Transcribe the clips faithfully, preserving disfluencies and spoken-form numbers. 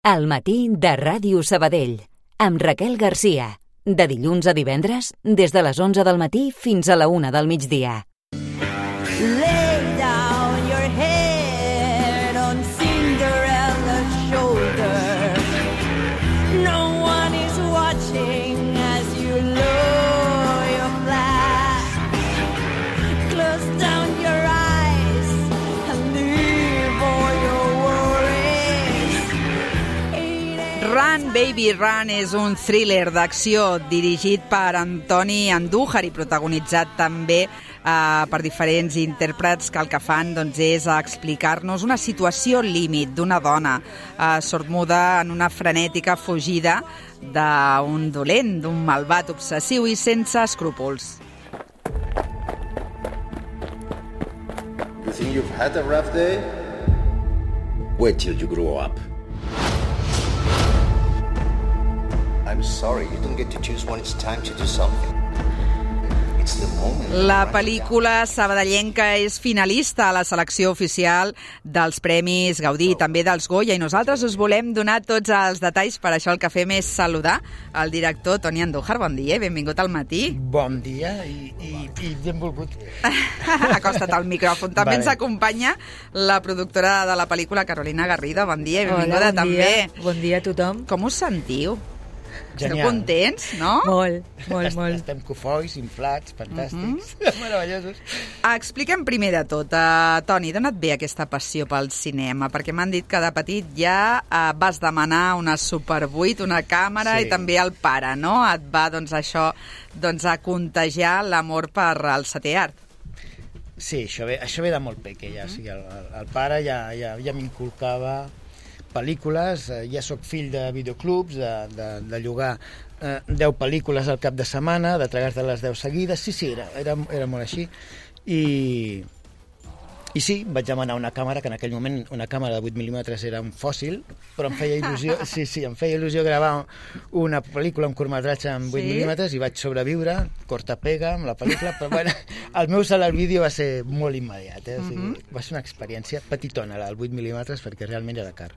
Al matí de Ràdio Sabadell, amb Raquel Garcia. De dilluns a divendres, des de les onze del matí fins a la una del migdia. Lay down your head on Cinderella's shoulder. No one is watching as you lower your flag. Close down your eyes and leave all your worries. Run, Baby, Run és un thriller d'acció dirigit per Antoni Andújar i protagonitzat també Uh, per diferents intèrprets que el que fan doncs, és explicar-nos una situació límit d'una dona uh, sordomuda en una frenètica fugida d'un dolent, d'un malvat obsessiu i sense escrúpols. You think you've had a rough day? Wait till you grow up. I'm sorry, you don't get to choose when it's time to do something. La pel·lícula sabadellenca és finalista a la selecció oficial dels Premis Gaudí, també dels Goya, i nosaltres us volem donar tots els detalls. Per això el que fem és saludar el director Toni Andújar. Bon dia i benvingut al matí. Bon dia i, i, i benvolgut. Acosta't al micròfon. També vale. Ens acompanya la productora de la pel·lícula, Carolina Garrido. Bon dia i benvinguda. Hola, bon també. Dia. Bon dia a tothom. Com us sentiu? Genial. Esteu contents, no? Molt, molt, molt. Estem cofois, inflats, fantàstics, uh-huh. meravellosos. Expliquem primer de tot, uh, Toni, d'on et ve aquesta passió pel cinema? Perquè m'han dit que de petit ja uh, vas demanar una Super vuit, una càmera, sí. I també el pare, no? Et va, doncs, això, doncs, a contagiar l'amor per al setè art. Sí, això ve, això ve de molt peque, ja. Uh-huh. O sigui, el, el pare ja, ja, ja m'inculcava pel·lícules, ja sóc fill de videoclubs, de, de, de llogar eh, deu pel·lícules al cap de setmana, de tragar-te les deu seguides, sí, sí, era, era, era molt així, i, i sí, vaig demanar una càmera, que en aquell moment una càmera de vuit mil·límetres era un fòssil, però em feia il·lusió, sí, sí, em feia il·lusió gravar una pel·lícula, un curtmetratge amb vuit mil·límetres, i vaig sobreviure, corta-pega amb la pel·lícula, però bueno, el meu salt al vídeo va ser molt immediat, eh? O sigui, uh-huh. Va ser una experiència petitona, el vuit mil·límetres, perquè realment era car.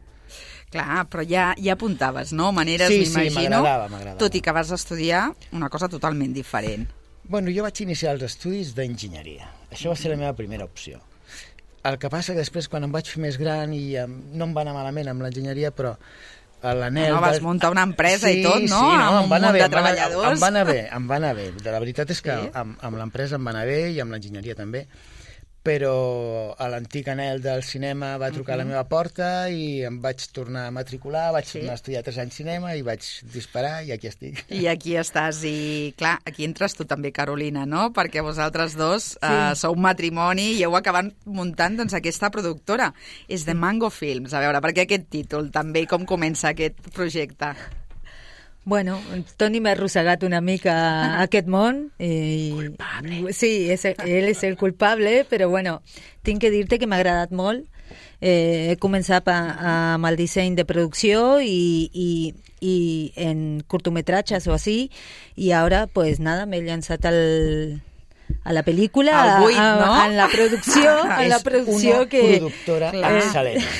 Clar, però ja, ja apuntaves, no? Maneres, sí, m'imagino. Sí, m'agradava, m'agradava. Tot i que vas estudiar una cosa totalment diferent. Bueno, jo vaig iniciar els estudis d'enginyeria. Això va ser la meva primera opció. El que passa que després, quan em vaig fer més gran, i um, no em va anar malament amb l'enginyeria, però l'anel... No, vas muntar una empresa sí, i tot, no? Sí, no, amb em un va anar munt bé, de treballadors. Em va anar bé, em va anar bé. La veritat és que sí? amb, amb l'empresa em va anar bé i amb l'enginyeria també. Però a l'antic anel del cinema va trucar uh-huh. a la meva porta i em vaig tornar a matricular, vaig sí. tornar a estudiar tres anys cinema i vaig disparar i aquí estic. I aquí estàs, i clar, aquí entres tu també, Carolina, no? Perquè vosaltres dos sí. uh, sou matrimoni i heu acabat muntant doncs, aquesta productora. És The Mango Films. A veure, per què aquest títol també i com comença aquest projecte? Bueno, Toni m'ha arrossegat una mica a aquest món. I... Culpable. Sí, és, ell és el culpable, però bueno, tinc que dir-te que m'ha agradat molt. Eh, he començat a, a, amb el disseny de producció i, i, i en curtometratges o així, i ara, pues nada, m'he llançat al... a la pel·lícula, al buit, no? a, en la producció, en la producció és que... una productora clar, excel·lent.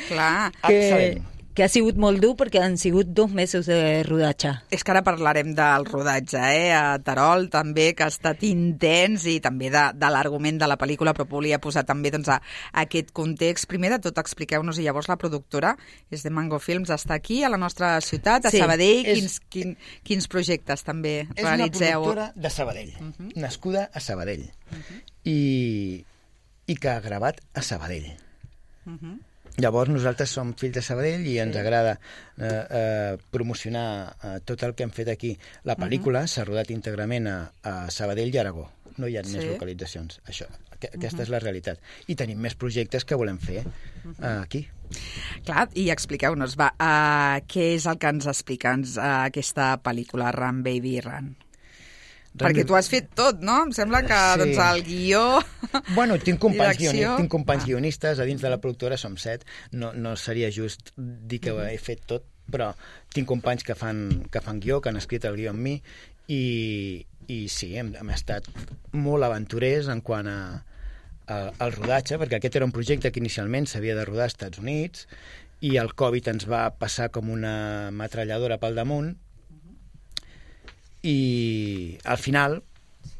Clar. Que, excel·lent. que ha sigut molt dur perquè han sigut dos mesos de rodatge. És que ara parlarem del rodatge, eh? A Terol també, que ha estat intens, i també de, de l'argument de la pel·lícula, però volia posar també doncs, a, a aquest context. Primer de tot, expliqueu-nos, i llavors la productora és de Mango Films, està aquí, a la nostra ciutat, a sí, Sabadell. És, quins, quin, quins projectes també és realitzeu? És una productora de Sabadell, uh-huh. nascuda a Sabadell, uh-huh. i, i que ha gravat a Sabadell. Uh-huh. Llavors nosaltres som fills de Sabadell i ens agrada eh, eh, promocionar eh, tot el que hem fet aquí. La pel·lícula uh-huh. s'ha rodat íntegrament a, a Sabadell i Aragó. No hi ha sí. més localitzacions. Això, que, aquesta uh-huh. és la realitat. I tenim més projectes que volem fer uh-huh. eh, aquí. Clar, i expliqueu-nos, va, uh, què és el que ens explica ens, uh, aquesta pel·lícula, Run, Baby, Run? Perquè tu has fet tot, no? Em sembla que sí. doncs, el guió... Bueno, tinc companys, direcció... guionistes, tinc companys ah. guionistes, a dins de la productora som set, no, no seria just dir que he fet tot, però tinc companys que fan, que fan guió, que han escrit el guió amb mi, i, i sí, hem, hem estat molt aventurers en quant a, a, al rodatge, perquè aquest era un projecte que inicialment s'havia de rodar als Estats Units, i el Covid ens va passar com una metralladora pel damunt, i al final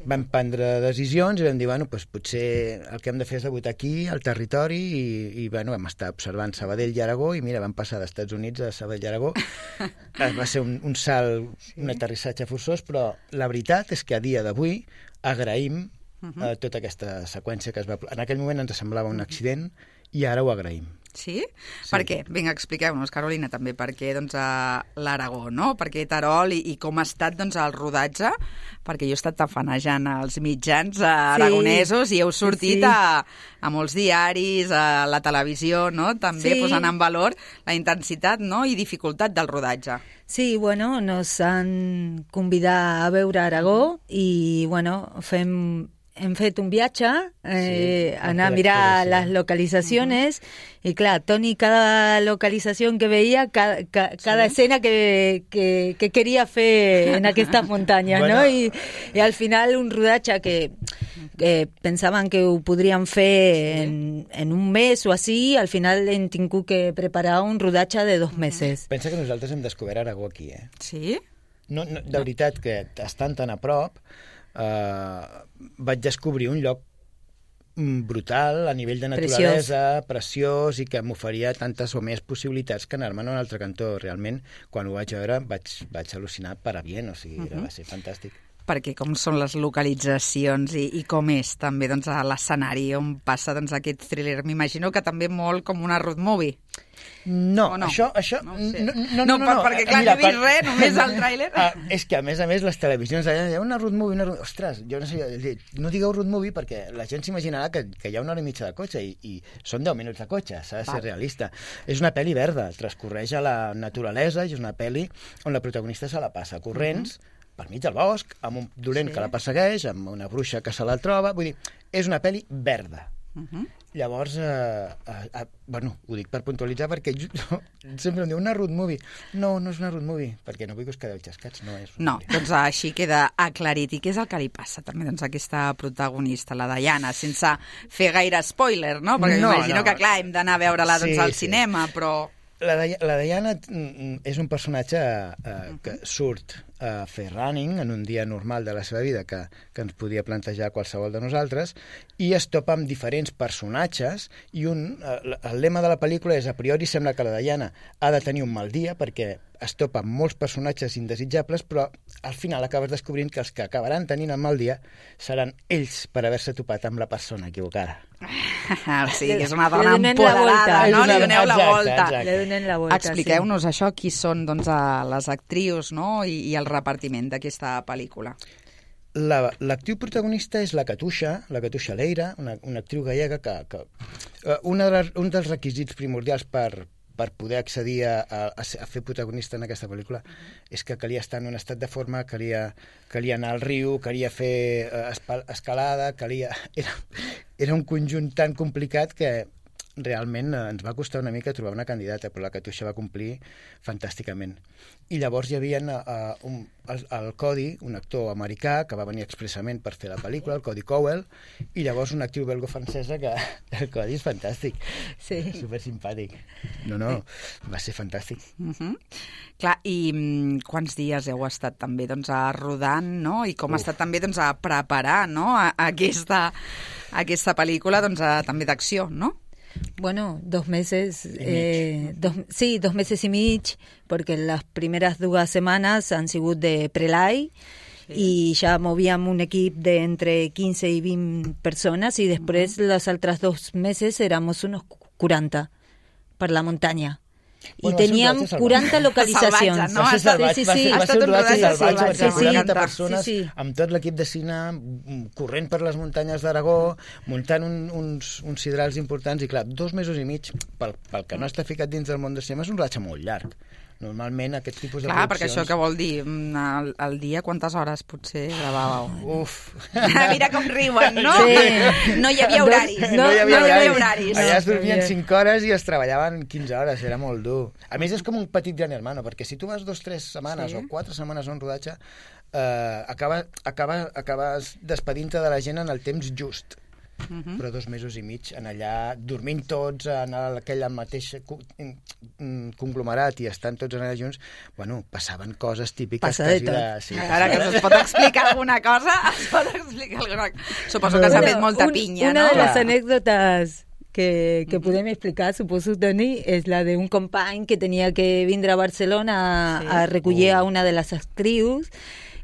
vam prendre decisions i vam dir, bueno, doncs potser el que hem de fer és debutar aquí, al territori, i, i bueno, vam estar observant Sabadell i Aragó, i mira, vam passar dels Estats Units a Sabadell i Aragó. Va ser un, un salt, sí. un aterrissatge forçós, però la veritat és que a dia d'avui agraïm uh -huh. eh, tota aquesta seqüència que es va... En aquell moment ens semblava un accident, i ara ho agraïm. Sí? sí? Per què? Vinga, expliqueu-nos, Carolina, també, per què doncs, a l'Aragó, no? Per què Terol i, i com ha estat doncs, el rodatge? Perquè jo he estat tafanejant els mitjans eh, aragonesos sí. i heu sortit sí, sí. A, a molts diaris, a la televisió, no? També sí. posant en valor la intensitat, no? i dificultat del rodatge. Sí, bueno, nos han convidat a veure Aragó i, bueno, fem... hem fet un viatge, eh, sí, anar a mirar les localitzacions, uh-huh. i clar, Toni, cada localització que veia, cada, ca, cada sí. escena que, que, que queria fer en aquestes muntanyes, bueno. no? I, I al final un rodatge que, que pensaven que ho podríem fer sí. en, en un mes o així, al final hem tingut que preparar un rodatge de dos mesos. Pensa que nosaltres hem descobert Aragó aquí, eh? Sí? No, no, de veritat, que estan tan a prop, Uh, vaig descobrir un lloc brutal a nivell de naturalesa, preciós, preciós i que m'oferia tantes o més possibilitats que anar-me'n a un altre cantó. Realment, quan ho vaig veure, vaig, vaig al·lucinar per a bien, o sigui, uh-huh. va ser fantàstic. Perquè com són les localitzacions i, i com és també doncs, a l'escenari on passa doncs, aquest thriller? M'imagino que també molt com una road movie. No, no, això... això no, no, no, no, no, no, no, perquè clar, mira, no he vist res, només el tràiler. Ah, és que, a més a més, les televisions allà hi ha una road movie, una road... Ostres, jo no sé, no digueu road movie perquè la gent s'imaginarà que, que hi ha una hora i mitja de cotxe i, i són deu minuts de cotxe, s'ha de ser Va. realista. És una pel·li verda, transcorreix a la naturalesa i és una pel·li on la protagonista se la passa corrents, uh-huh. per mig del bosc, amb un dolent sí. que la persegueix, amb una bruixa que se la troba... Vull dir, és una pel·li verda. Uh-huh. Llavors, eh, eh, bueno, ho dic per puntualitzar perquè jo, sempre em diu una road movie. No, no és una road movie, perquè no vull que us quedeu xascats, no és No, doncs així queda aclarit. I què és el que li passa també doncs, a aquesta protagonista, la Diana, sense fer gaire spoiler, no? Perquè no, m'imagino no. que, clar, hem d'anar a veure-la doncs, sí, al sí. cinema, però... La, la Diana és un personatge eh, que surt a fer running en un dia normal de la seva vida que, que ens podia plantejar qualsevol de nosaltres i es topa amb diferents personatges i un, el lema de la pel·lícula és a priori sembla que la Diana ha de tenir un mal dia perquè es topa amb molts personatges indesitjables, però al final acabes descobrint que els que acabaran tenint el mal dia seran ells per haver-se topat amb la persona equivocada. Ah, sí, que és una dona empoderada, no? Li doneu la volta. la volta. Expliqueu-nos sí. això, qui són doncs, les actrius, no? I, i el repartiment d'aquesta pel·lícula. La, l'actriu protagonista és la Katusha, la Katusha Leira, una, una actriu gallega que... que uh, una de les, un dels requisits primordials per, per poder accedir a, a, a fer protagonista en aquesta pel·lícula és que calia estar en un estat de forma, calia, calia anar al riu, calia fer uh, escalada, calia... Era, era un conjunt tan complicat que realment eh, ens va costar una mica trobar una candidata, però la Katusha va complir fantàsticament. I llavors hi havia uh, un, el, el Cody, un actor americà que va venir expressament per fer la pel·lícula, el Cody Cowell, i llavors una actriu belgo-francesa que el Cody és fantàstic, sí. supersimpàtic. No, no, va ser fantàstic. Uh-huh. Clar, i um, quants dies heu estat també doncs, a rodant, no? I com Uf. ha estat també doncs, a preparar no? a, a aquesta, a aquesta pel·lícula doncs, a, també d'acció, no? Bueno, dos meses, eh, dos, sí, dos meses y mig, porque las primeras dos semanas han sido de prelay sí. y ya movíamos un equipo de entre quince y veinte personas y después uh-huh. los otros dos meses éramos unos cuarenta per la montaña. Bueno, I teníem quaranta localitzacions. No? Va ser salvatge, sí, sí, sí. Va ser un rodatge salvatge, sí, sí. quaranta persones sí, sí. amb tot l'equip de cine corrent per les muntanyes d'Aragó, muntant un, uns, uns sidrals importants i clar, dos mesos i mig, pel, pel que no està ficat dins del món de cinema, és un rodatge molt llarg. Normalment aquest tipus de Clar, produccions... perquè això què vol dir? Al, al dia quantes hores potser gravàveu? Uf! Mira com riuen, no? Sí. No hi havia horaris. No, no hi havia, no horaris. Hi havia horaris. Allà es dormien cinc hores i es treballaven quinze hores, era molt dur. A més, és com un petit gran hermano, perquè si tu vas dos, tres setmanes sí. o quatre setmanes a un rodatge, eh, acaba, acaba, acabes despedint-te de la gent en el temps just. uh-huh. però dos mesos i mig en allà, dormint tots en aquell mateix conglomerat i estant tots allà junts, bueno, passaven coses típiques. Passa de tot. De, sí, Ara que es pot explicar alguna cosa, es pot explicar alguna cosa. Suposo que s'ha fet molta Un- pinya, una no? de les Clar. anècdotes que, que podem explicar, suposo, Toni, és la d'un company que tenia que vindre a Barcelona a, Sí. a recollir Oh. a una de les actrius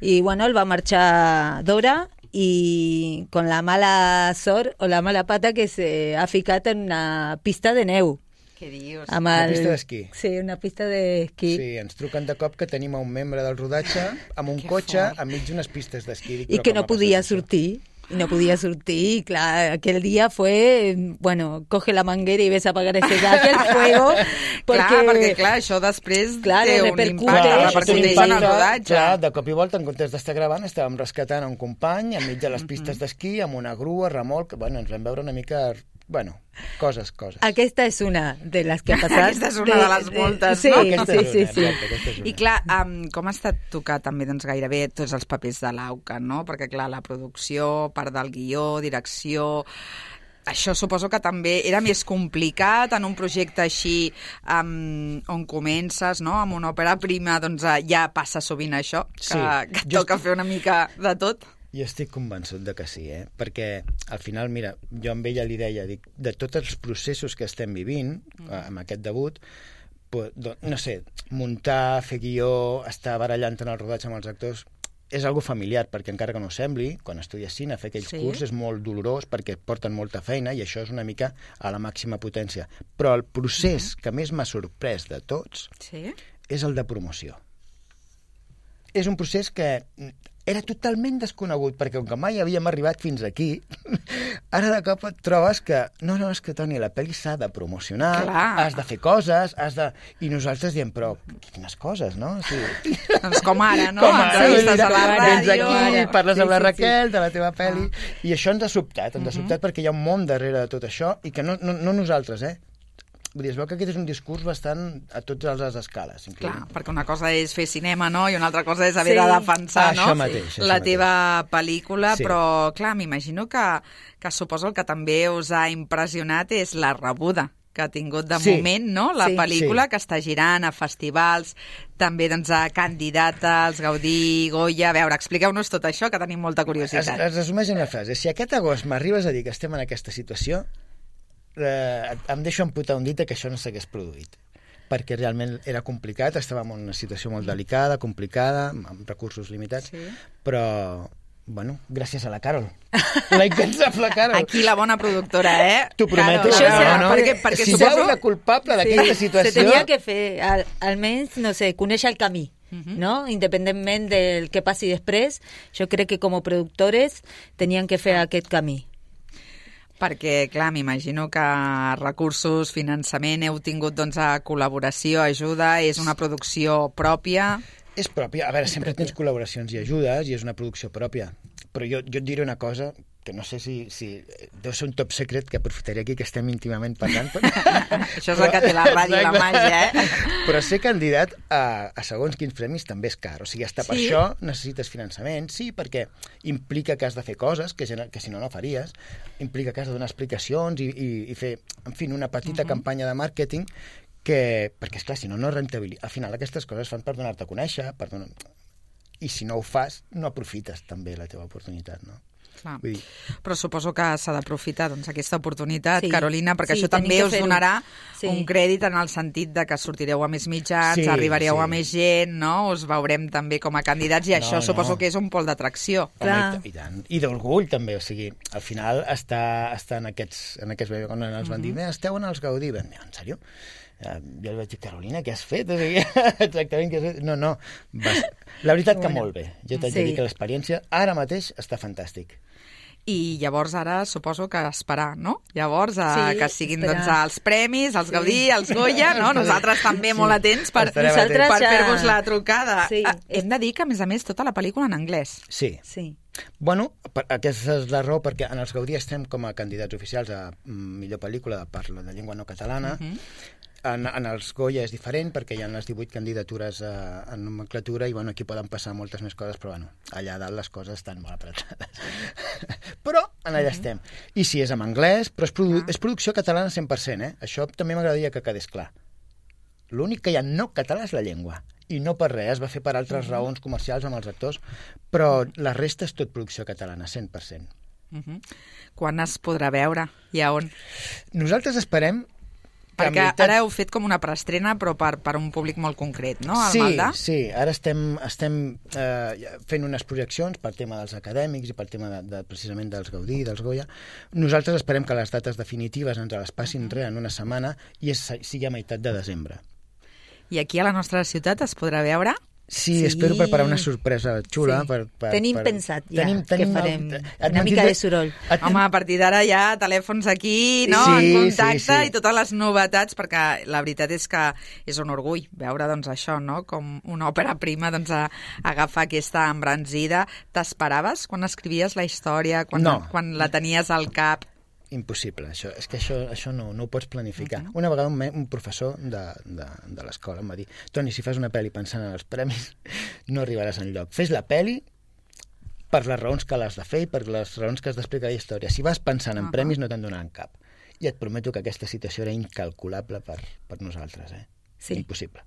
i, bueno, el va marxar d'hora i con la mala sort o la mala pata que se ha ficat en una pista de neu. Què dius? Amb Una el- pista d'esquí. Sí, una pista d'esquí. Sí, ens truquen de cop que tenim a un membre del rodatge amb un Que cotxe fort. enmig d'unes pistes d'esquí. Dic, I però que com no ha passat podia això? sortir. Y no podía surtir, y claro, aquel día fue, bueno, coge la manguera y ves a apagar ese gas, el fuego, porque... Clar, perquè clar, això després Clar, té un repercuteix, impacte, Clar, repercuteix sí, en el rodatge. Clar, de cop i volta, en comptes d'estar gravant, estàvem rescatant un company enmig de les pistes d'esquí, amb una grua, remolc... Bueno, ens vam veure una mica... Bueno, coses, coses. Aquesta és una de les que ha passat. Aquesta és una de les moltes, sí, no? Aquesta sí, és sí, una, sí. exacte, aquesta és una. I clar, um, com ha estat tocar també doncs, gairebé tots els papers de l'Auca, no? Perquè clar, la producció, part del guió, direcció... Això suposo que també era més complicat en un projecte així um, on comences, no? Amb una òpera prima, doncs eh, ja passa sovint això, que, Sí. que Jo toca estic- fer una mica de tot. Jo estic convençut de que sí, eh? Perquè al final, mira, jo amb ella li deia, dic, de tots els processos que estem vivint mm. amb aquest debut, pues, do, no sé, muntar, fer guió, estar barallant en el rodatge amb els actors, és algo familiar, perquè encara que no ho sembli, quan estudies cine, fer aquells Sí. sí. curs és molt dolorós perquè et porten molta feina i això és una mica a la màxima potència. Però el procés mm. que més m'ha sorprès de tots Sí? és el de promoció. És un procés que era totalment desconegut, perquè com que mai havíem arribat fins aquí, ara de cop et trobes que no, no, és que, Toni, la pel·li s'ha de promocionar, Clar. has de fer coses, has de... I nosaltres diem, però quines coses, no? Sí. Doncs com ara, no? Com ara, Entrevistes a la vens ràdio. aquí, parles Sí, amb la sí, sí. Raquel, de la teva pel·li, i això ens ha sobtat, ens ha sobtat perquè hi ha un món darrere de tot això, i que no, no, no nosaltres, eh? Vull dir, es veu que aquest és un discurs bastant a totes les escales. Clar, incloent. perquè una cosa és fer cinema, no? I una altra cosa és haver Sí. de defensar, Ah, no? això mateix, això la mateix. teva pel·lícula, Sí. però, clar, m'imagino que, que suposo el que també us ha impressionat és la rebuda que ha tingut de Sí. moment, no? La Sí. pel·lícula Sí. que està girant a festivals, també doncs, a candidata als Gaudí, Goya... A veure, expliqueu-nos tot això, que tenim molta Es, curiositat. es resumeix en una frase. Si aquest agost m'arribes a dir que estem en aquesta situació, eh, em deixo amputar un dit que això no s'hagués produït. Perquè realment era complicat, estàvem en una situació molt delicada, complicada, amb recursos limitats, Sí. però, bueno, gràcies a la Carol. La incansable Carol. Aquí la bona productora, eh? T'ho prometo. Carol, Això no, serà, no, no, perquè, perquè si suposo... veus la culpable d'aquesta Sí, situació... se tenia que fer, al, almenys, no sé, conèixer el camí, no? Independentment del que passi després, jo crec que com a productores tenien que fer aquest camí. Perquè, clar, m'imagino que recursos, finançament, heu tingut doncs, a col·laboració, ajuda, és una producció pròpia. És pròpia. A veure, sempre tens col·laboracions i ajudes i és una producció pròpia. Però jo, jo et diré una cosa que no sé si, si... Deu ser un top secret que aprofitaré aquí que estem íntimament parlant. Però... Això és el que té la ràdio i la màgia, eh? Però ser candidat a, a segons quins premis també és car. O sigui, hasta per Sí? això necessites finançament. Sí, perquè implica que has de fer coses que, gener- que si no, no faries. Implica que has de donar explicacions i, i, i fer, en fi, una petita uh -huh. campanya de màrqueting que, perquè, esclar, si no, no rentabilitza. Al final aquestes coses fan per donar-te a conèixer, per donar... i si no ho fas, no aprofites també la teva oportunitat, no? Clar. Vull dir, Però suposo que s'ha d'aprofitar doncs, aquesta oportunitat, Sí. Carolina, perquè Sí, això tenim també que us fer-ho. donarà Sí. un crèdit en el sentit de que sortireu a més mitjans, Sí, arribareu sí. a més gent, no? Us veurem també com a candidats i No, això no. suposo que és un pol d'atracció. home, Clar. i, ta- i tant. I d'orgull també, o sigui, al final està, està en aquests, en aquests quan ens van dir, esteu en els Gaudí, vam dir, en sèrio? Uh, jo li vaig dir, Carolina, què has fet? O sigui, exactament què has fet? No, no, vas... la veritat que molt bé. Jo t'haig de Sí. dir que l'experiència ara mateix està fantàstic. I llavors ara suposo que esperar, no? Llavors a, Sí, que siguin esperar. doncs, els premis, els Gaudí, els Goya, no? Nosaltres també Sí. molt atents per, Estarem per atents. fer-vos la trucada. Sí. Ah, hem de dir que, a més a més, tota la pel·lícula en anglès. Sí. Sí. Bueno, per, aquesta és la raó perquè en els Gaudí estem com a candidats oficials a mm, millor pel·lícula de parla de llengua no catalana. Mhm. En, en els Goya és diferent perquè hi ha les divuit candidatures a, en nomenclatura i bueno, aquí poden passar moltes més coses, però bueno, allà dalt les coses estan molt apretades. Però en allà estem. I sí, és en anglès, però és, produ és producció catalana cent per cent, eh? Això també m'agradaria que quedés clar. L'únic que hi ha no català és la llengua. I no per res, es va fer per altres raons comercials amb els actors, però la resta és tot producció catalana, cent per cent. Uh -huh. Quan es podrà veure i a on? Nosaltres esperem... Perquè veritat... ara heu fet com una preestrena, però per, per un públic molt concret, no? Al sí, Maldà? sí, ara estem, estem eh, fent unes projeccions per tema dels acadèmics i per tema de, de, precisament dels Gaudí, dels Goya. Nosaltres esperem que les dates definitives ens les passin uh -huh. res en una setmana i és, sigui a meitat de desembre. I aquí a la nostra ciutat es podrà veure? Sí, Sí. espero preparar una sorpresa xula. Sí. Per, per, Tenim per... pensat ja tenim, que tenim farem et una mica de soroll. Et... Home, a partir d'ara hi ha telèfons aquí, no?, Sí, en contacte sí, sí. i totes les novetats, perquè la veritat és que és un orgull veure doncs, això, no?, com una òpera prima doncs, a, a agafar aquesta embranzida. T'esperaves quan escrivies la història, quan, No. quan la tenies al cap? Impossible, això. És que això, això no, no ho pots planificar. Uh-huh. Una vegada un, me- un professor de, de, de l'escola em va dir: Toni, si fas una pel·li pensant en els premis, no arribaràs enlloc. Fes la pel·li per les raons que l'has de fer i per les raons que has d'explicar la història. Si vas pensant en Uh-huh. premis, no te'n donaran cap. I et prometo que aquesta situació era incalculable per, per nosaltres, eh? Sí. Impossible.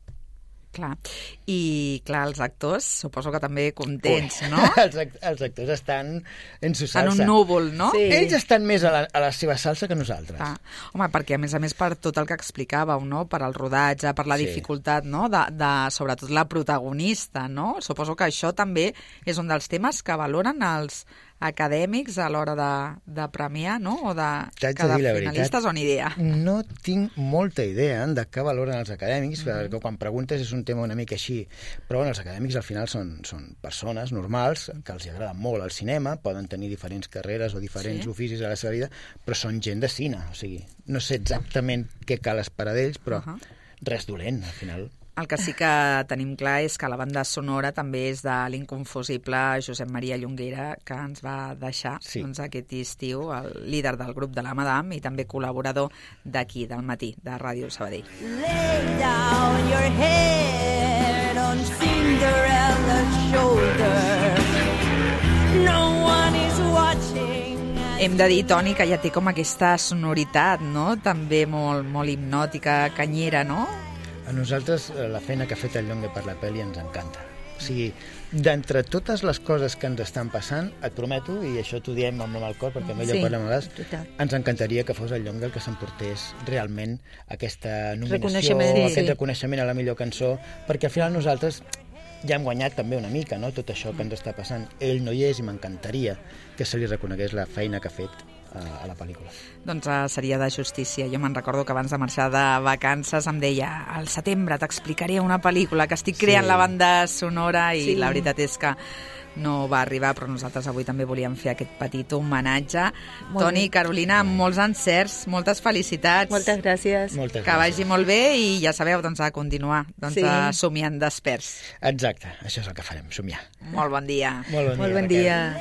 Clar. I, clar, els actors suposo que també contents, Ui. no? els, act els actors estan en su En salsa. un núvol, no? Sí. Ells estan més a la, a la seva salsa que nosaltres. Ah, home, perquè a més a més per tot el que explicàveu, no?, per al rodatge, per la Sí. dificultat, no?, de, de sobretot la protagonista, no? Suposo que això també és un dels temes que valoren els acadèmics a l'hora de, de premiar, no?, o de T'haig de cada dir la finalistes veritat, o ni idea. No tinc molta idea de què valoren els acadèmics, Mhm. perquè quan preguntes és un tema una mica així, però bueno, els acadèmics al final són, són persones normals que els agrada molt el cinema, poden tenir diferents carreres o diferents Sí. oficis a la seva vida, però són gent de cine, o sigui, no sé exactament què cal esperar d'ells, però Ahà. res dolent, al final. El que sí que tenim clar és que la banda sonora també és de l'inconfusible Josep Maria Llonguera, que ens va deixar Sí. doncs, aquest estiu, el líder del grup de la Madame i també col·laborador d'aquí, del Matí, de Ràdio Sabadell. Lay down your head on Cinderella's shoulder. No one is watching. Hem de dir, Toni, que ja té com aquesta sonoritat, no?, també molt, molt hipnòtica, canyera, no? A nosaltres eh, la feina que ha fet el Llongue per la pel·li ens encanta. O sigui, d'entre totes les coses que ens estan passant, et prometo, i això t'ho diem amb el cor, perquè amb ell Sí, ho parlem a vegades, total. ens encantaria que fos el Llongue el que s'emportés realment aquesta nominació, Reconeixement, sí. aquest Sí. reconeixement a la millor cançó, perquè al final nosaltres ja hem guanyat també una mica, no?, tot això que ens està passant. Ell no hi és i m'encantaria que se li reconegués la feina que ha fet a, a la pel·lícula. Doncs uh, seria de justícia. Jo me'n recordo que abans de marxar de vacances em deia: al setembre t'explicaré una pel·lícula que estic creant Sí. la banda sonora, i Sí. la veritat és que no va arribar, però nosaltres avui també volíem fer aquest petit homenatge. Molt Toni, bé. Carolina, molts encerts, moltes felicitats. Moltes gràcies. Moltes Que gràcies. vagi molt bé i ja sabeu, doncs, a continuar doncs, Sí. a somiant desperts. Exacte, això és el que farem, somiar. Molt bon dia. Molt bon Molt dia, bon Raquel. dia.